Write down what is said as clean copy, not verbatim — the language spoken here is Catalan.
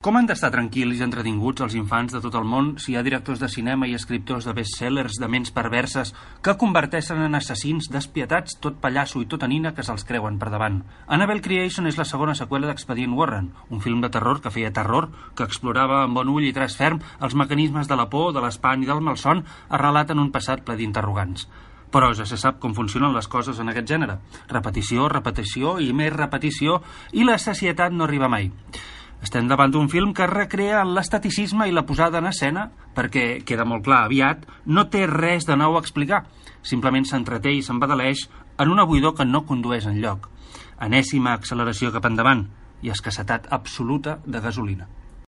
Com han d'estar tranquils i entretinguts els infants de tot el món si hi ha directors de cinema i escriptors de bestsellers de ments perverses que converteixen en assassins despietats tot pallasso i tota nina que se'ls creuen per davant? Annabelle Creation és la segona seqüela d'Expedient Warren, un film de terror que feia terror, que explorava amb bon ull i traç ferm els mecanismes de la por, de l'espant i del malson, arrelat en un passat ple d'interrogants. Però ja se sap com funcionen les coses en aquest gènere. Repetició, repetició i més repetició, i la sacietat no arriba mai. Estem davant d'un film que recrea l'esteticisme i la posada en escena perquè, queda molt clar aviat, no té res de nou a explicar. Simplement s'entreté i s'embadaleix en una buidor que no condueix enlloc. Enèsima acceleració cap endavant i escassetat absoluta de gasolina.